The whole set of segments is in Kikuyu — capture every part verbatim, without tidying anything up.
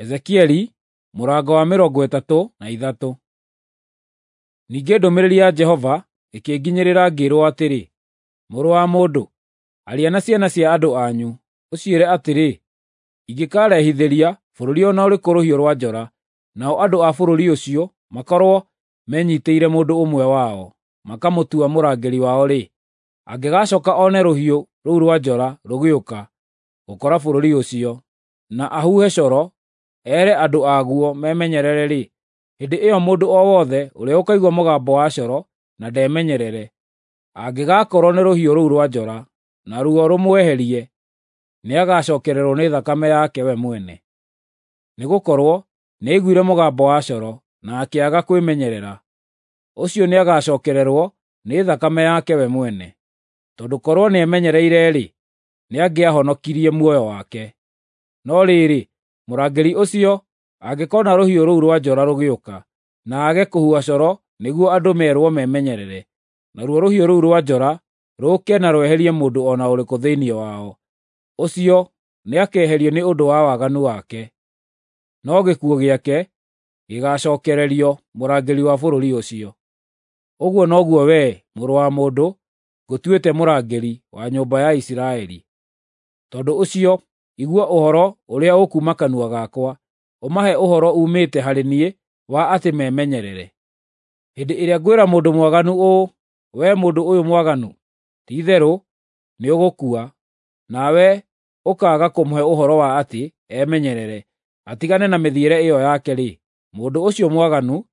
Ezekieli mũrango wa mĩrongo ĩtatũ na ithatũ. Ningĩ ndũmĩrĩri ya Jehova ĩkĩnginyĩrĩra ngĩĩrwo atĩrĩ, Mũrũ wa mũndũ, aria na ciana cia andũ anyu, ũciĩre atĩrĩ, ingĩkarehithĩria bũrũri o na ũrĩkũ rũhiũ rwa njora, nao andũ a bũrũri ũcio makorwo menyiitĩire mũndũ ũmwe wao, makamũtua mũrangĩri wao-rĩ, angĩgacooka one rũhiũ rũu rwa njora rũgĩũka gũkora bũrũri ũcio, na ahuhe coro ere andũ aguo memenyerere-rĩ, hĩndĩ ĩyo mũndũ o wothe ũrĩa ũkaigua mũgambo wa coro na ndemenyerere, angĩgakorwo nĩ rũhiũ rũu rwa njora, naruo rũmweherie, nĩagacookererwo nĩ thakame yake we mwene. Nĩgũkorwo nĩaiguire mũgambo wa coro na akĩaga kwĩmenyerera. Ũcio nĩagacookererwo nĩ thakame yake we mwene. Tondũ korwo nĩemenyereire-rĩ, nĩangĩahonokirie muoyo wake. No rĩrĩ, mũrangĩri ũcio angĩkoona rũhiũ rũu rwa njora rũgĩũka, na aage kũhuha coro nĩguo andũ meerwo memenyerere, naruo rũhiũ rũu rwa njora rũũke na rweherie mũndũ o na ũrĩkũ thĩinĩ wao, ũcio nĩakeherio nĩ ũndũ wa waganu wake, no gĩkuũ gĩake gĩgaacookererio mũrangĩri wa bũrũri ũcio. Ũguo noguo wee, mũrũ wa mũndũ, ngũtuĩte mũrangĩri wa nyũmba ya Isiraeli. Tondũ ũcio igua ũhoro ũrĩa ũkuuma kanua gakwa, ũmahe ũhoro uumĩte harĩ niĩ wa atĩ memenyerere. Hĩndĩ ĩrĩa ngwĩra mũndũ mwaganu ũũ, ‘Wee mũndũ ũyũ mwaganu, ti-itherũ nĩũgũkua,’ nawe ũkaaga kũmũhe ũhoro wa atĩ emenyerere, atigane na mĩthiĩre ĩyo yake-rĩ, mũndũ ũcio mwaganu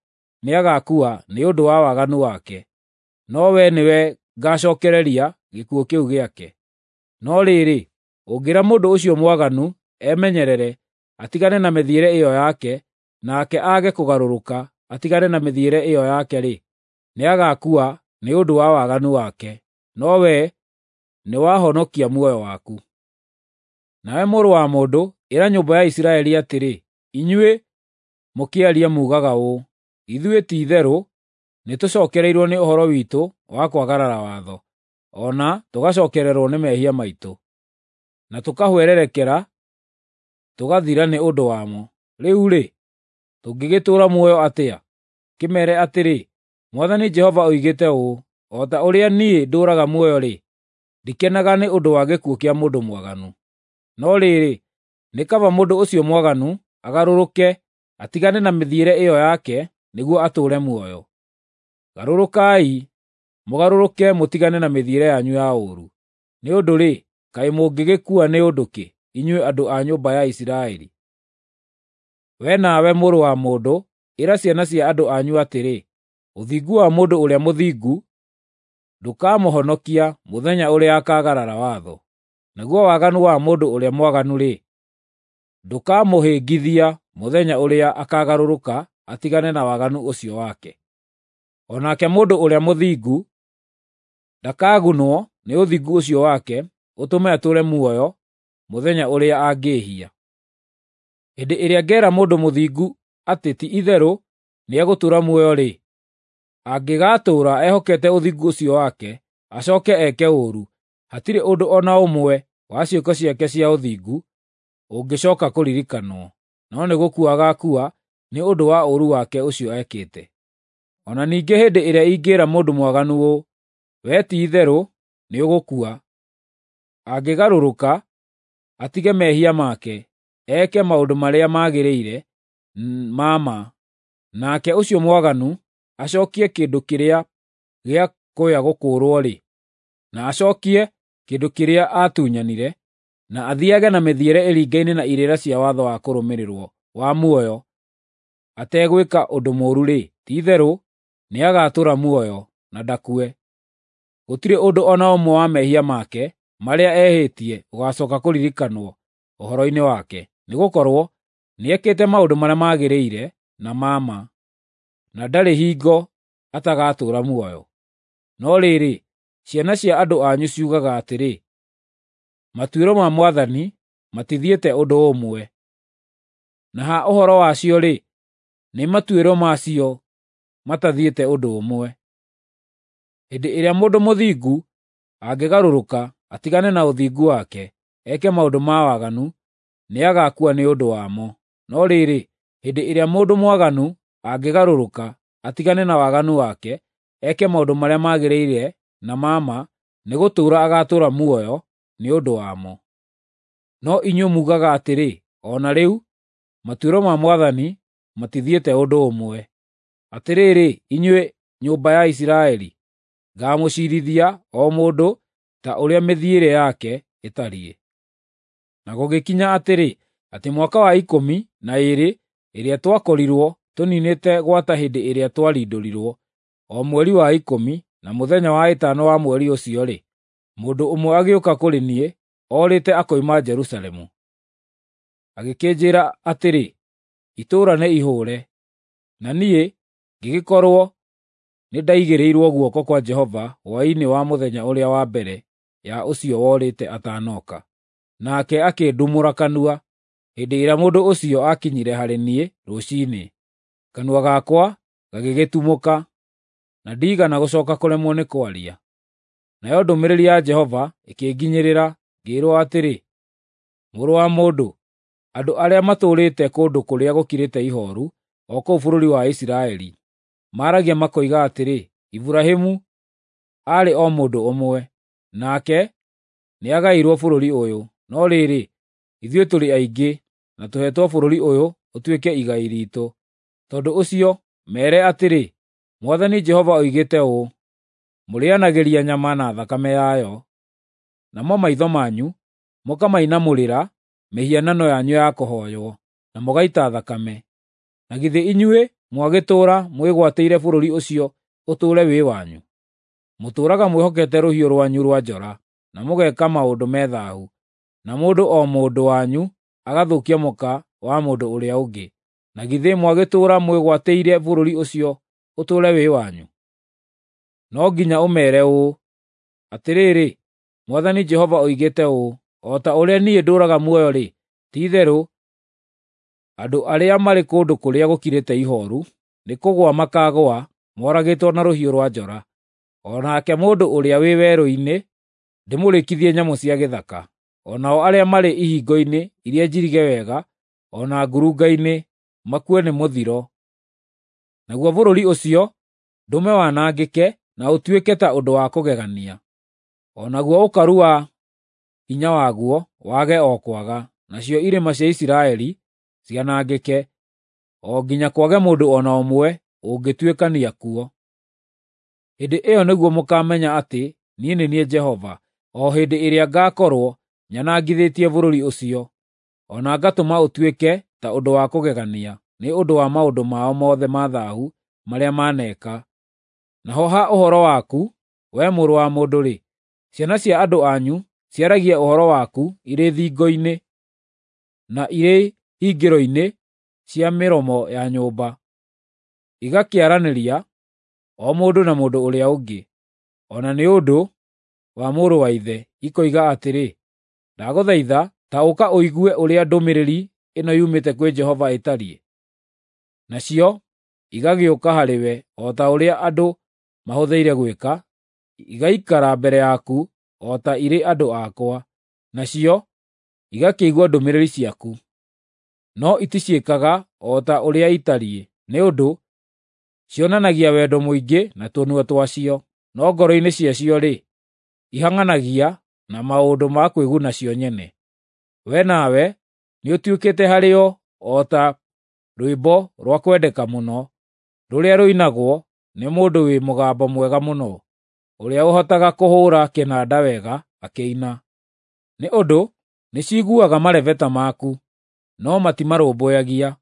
nĩagaakua nĩ ũndũ wa waganu wake, no wee nĩwe ngaacookereria gĩkuũ kĩu gĩake. No rĩrĩ, ũngĩĩra mũndũ ũcio mwaganu emenyerere, atigane na mĩthiĩre ĩyo yake, nake aage kũgarũrũka atigane na mĩthiĩre ĩyo yake-rĩ, nĩagaakua nĩ ũndũ wa waganu wake, no wee nĩwahonokia muoyo waku. Nawe mũrũ wa mũndũ, ĩra nyũmba ya Isiraeli atĩrĩ, ‘Inyuĩ mũkĩaria muugaga ũũ, “Ithuĩ ti-itherũ nĩtũcookereirwo nĩ ũhoro witũ wa kwagarara watho, o na tũgacookererwo nĩ mehia maitũ, na tũkahwererekera tũgathira nĩ ũndũ wamo. Rĩu-rĩ, tũngĩgĩtũũra muoyo atĩa?” Kĩmeere atĩrĩ, Mwathani Jehova oigĩte ũũ, o ta ũrĩa niĩ ndũũraga muoyo-rĩ, ndikenaga nĩ ũndũ wa gĩkuũ kĩa mũndũ mwaganu. No rĩrĩ, nĩ kaba mũndũ ũcio mwaganu agarũrũke atigane na mĩthiĩre ĩyo yake nĩguo atũũre muoyo. Garũrũkai, mũgarũrũke mũtigane na mĩthiĩre yanyu ya ũũru. Nĩ ũndũ-rĩ, kaĩ mũngĩgĩkua nĩ ũndũ kĩ, inyuĩ andũ a nyũmba ya Isiraeli? Wee nawe mũrũ wa mũndũ, ĩra ciana cia andũ anyu atĩrĩ, ũthingu wa mũndũ ũrĩa mũthingu ndũkamũhonokia mũthenya ũrĩa akaagarara watho, naguo waganu wa mũndũ ũrĩa mwaganu-rĩ, ndũkamũhĩngithia mũthenya ũrĩa akaagarũrũka atigane na waganu ũcio wake. O nake mũndũ ũrĩa mũthingu ndakagunwo nĩ ũthingu ũcio wake ũtũme atũũre muoyo mũthenya ũrĩa angĩĩhia. Hĩndĩ ĩrĩa ngeera mũndũ mũthingu atĩ ti-itherũ nĩegũtũũra muoyo-rĩ, angĩgaatũũra ehokete ũthingu ũcio wake, acooke eke ũũru, hatirĩ ũndũ o na ũmwe wa ciĩko ciake cia ũthingu ũngĩcooka kũririkanwo, no nĩ gũkua agaakua nĩ ũndũ wa ũũru wake ũcio ekĩte. O na ningĩ hĩndĩ ĩrĩa ingĩĩra mũndũ mwaganu ũũ, “Wee ti-itherũ nĩũgũkua,” angĩgarũrũka atige mehia make, eke maũndũ marĩa magĩrĩire ma ma, nake ũcio mwaganu acookie kĩndũ kĩrĩa gĩa kũya gũkũũrwo-rĩ, na acookie kĩndũ kĩrĩa aatunyanire, na athiiage na mĩthiĩre ĩringaine na irĩra cia watho wa kũrũmĩrĩrwo wa muoyo ategwĩka ũndũ mũũru-rĩ, ti-itherũ nĩagatũũra muoyo na ndakue. Gũtirĩ ũndũ o na ũmwe wa mehia make marĩa ehĩtie ũgaacooka kũririkanwo ũhoro-inĩ wake, nĩgũkorwo nĩekĩte maũndũ marĩa magĩrĩire na ma ma, na ndarĩ hingo atagatũũra muoyo. No rĩrĩ, ciana cia andũ anyu ciugaga atĩrĩ, “Matuĩro ma Mwathani matithiĩte ũndũ ũmwe.” Na ha ũhoro wacio-rĩ, nĩ matuĩro macio matathiĩte ũndũ ũmwe. Hĩndĩ ĩrĩa mũndũ mũthingu angĩgarũrũka atigane na ũthingu wake, eke maũndũ ma waganu, nĩagaakua nĩ ũndũ wamo. No rĩrĩ, hĩndĩ ĩrĩa mũndũ mwaganu angĩgarũrũka atigane na waganu wake, eke maũndũ marĩa magĩrĩire na ma ma, nĩgũtũũra agaatũũra muoyo nĩ ũndũ wamo. No inyuĩ muugaga atĩrĩ, ‘O na rĩu matuĩro ma Mwathani matithiĩte ũndũ ũmwe.’ Atĩrĩrĩ, inyuĩ nyũmba ya Isiraeli, ngaamũciirithia o mũndũ ta ũrĩa mĩthiĩre yake ĩtariĩ. Na gũgĩkinya atĩrĩ, atĩ mwaka wa ikũmi na ĩĩrĩ ĩrĩa twakorirwo tũniinĩte gwata hĩndĩ ĩrĩa twarindũrirwo, o mweri wa ikũmi na mũthenya wa ĩtano wa mweri ũcio-rĩ, mũndũ ũmwe agĩũka kũrĩ niĩ orĩte akoima Jerusalemu. Agĩkĩnjĩĩra atĩrĩ, “Itũũra nĩ ihũũre.” Na niĩ ngĩgĩkorwo nĩndaigĩrĩirwo guoko kwa Jehova hwaĩ-inĩ wa mũthenya ũrĩa wa mbere ya ũcio worĩte atanoka. Nake akĩndumũra kanua hĩndĩ ĩrĩa mũndũ ũcio aakinyire harĩ niĩ rũciinĩ. Kanua gakwa gagĩgĩtumũka, na ndiigana gũcooka kũremwo nĩ kwaria. Nayo ndũmĩrĩri ya Jehova ĩkĩnginyĩrĩra, ngĩĩrwo atĩrĩ, “Mũrũ wa mũndũ, andũ arĩa matũũrĩte kũndũ kũrĩa gũkirĩte ihooru, o kũu bũrũri wa Isiraeli, maaragia makoiga atĩrĩ, ‘Iburahĩmu aarĩ o mũndũ ũmwe, nake nĩagaĩirwo bũrũri ũyũ, no rĩrĩ, ithuĩ tũrĩ aingĩ, na tũheetwo bũrũri ũyũ ũtuĩke igai riitũ.’ Tondũ ũcio meere atĩrĩ, ‘Mwathani Jehova oigĩte ũũ: Mũrĩĩanagĩria nyama na thakame yayo, namo maitho manyu mũkamainamũrĩra mĩhianano yanyu ya kũhooywo, na mũgaita thakame. Na githĩ inyuĩ mwagĩtũũra mwĩgwatĩire bũrũri ũcio ũtũũre wĩ wanyu? Mũtũũraga mwĩhokete rũhiũ rwanyu rwa njora, na mũgeeka maũndũ me thaahu, na mũndũ o mũndũ wanyu agathũkia mũka wa mũndũ ũrĩa ũngĩ. Na githĩ mwagĩtũũra mwĩgwatĩire bũrũri ũcio ũtũũre wĩ wanyu? No nginya ũmeere ũũ, ‘Atĩrĩrĩ, Mwathani Jehova oigĩte ũũ: O ta ũrĩa niĩ ndũũraga muoyo-rĩ, ti-itherũ andũ arĩa marĩ kũndũ kũrĩa gũkirĩte ihooru nĩkũgũa makaagũa moragĩtwo na rũhiũ rwa njora, o nake mũndũ ũrĩa wĩ werũ-inĩ ndĩmũrĩkithie nyamũ cia gĩthaka, o nao arĩa marĩ ihingo-inĩ iria njirige wega o na ngurunga-inĩ makue nĩ mũthiro. Naguo bũrũri ũcio ndũme wanangĩke na ũtuĩke ta ũndũ wa kũgegania, o naguo ũkaru wa hinya waguo wage o kwaga, nacio irĩma cia Isiraeli cianangĩke, o nginya kwage mũndũ o na ũmwe ũngĩtuĩkania kuo. Hĩndĩ ĩyo nĩguo mũkaamenya atĩ niĩ nĩ niĩ Jehova, o hĩndĩ ĩrĩa ngaakorwo nyanangithĩtie bũrũri ũcio, o na ngatũma ũtuĩke ta ũndũ wa kũgegania nĩ ũndũ wa maũndũ mao mothe ma thaahu marĩa maneeka. Naho ha ũhoro waku, wee mũrũ wa mũndũ-rĩ, ciana cia andũ anyu ciaragia ũhoro waku irĩ thingo-inĩ na irĩ hingĩro-inĩ cia mĩromo ya nyũmba, igakĩaranĩria o mũndũ na mũndũ ũrĩa ũngĩ, o na nĩ ũndũ wa mũrũ wa ithe, ikoiga atĩrĩ, ‘Ndagũthaitha ta ũka ũigue ũrĩa ndũmĩrĩri ĩno yumĩte kwĩ Jehova ĩtariĩ.’ Nacio igagĩũka harĩwe o ta ũrĩa andũ mahũthĩire gwĩka, igaikara mbere yaku o ta irĩ andũ akwa, nacio igakĩigua ndũmĩrĩri ciaku, no iticiĩkaga o ta ũrĩa itariĩ, nĩ ũndũ cionanagia wendo mũingĩ na tũnua twacio, no ngoro-inĩ ciacio-rĩ, ihang'anagia na maũndũ ma kwĩguna cio nyene. Wee nawe nĩũtuĩkĩte harĩo o ta rwĩmbo rwa kwendeka mũno, rũrĩa rũinagwo nĩ mũndũ wĩ mũgambo mwega mũno, ũrĩa ũhotaga kũhũũra kĩnanda wega akĩina. Nĩ ũndũ nĩciiguaga marebeta maku, no matimarũmbũyagia.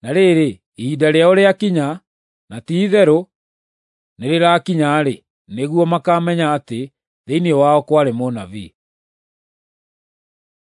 Na rĩrĩ, ihinda rĩao rĩakinya, na ti-itherũ nĩrĩrakinya-rĩ, nĩguo makaamenya atĩ thĩinĩ wao kwarĩ mũnabii.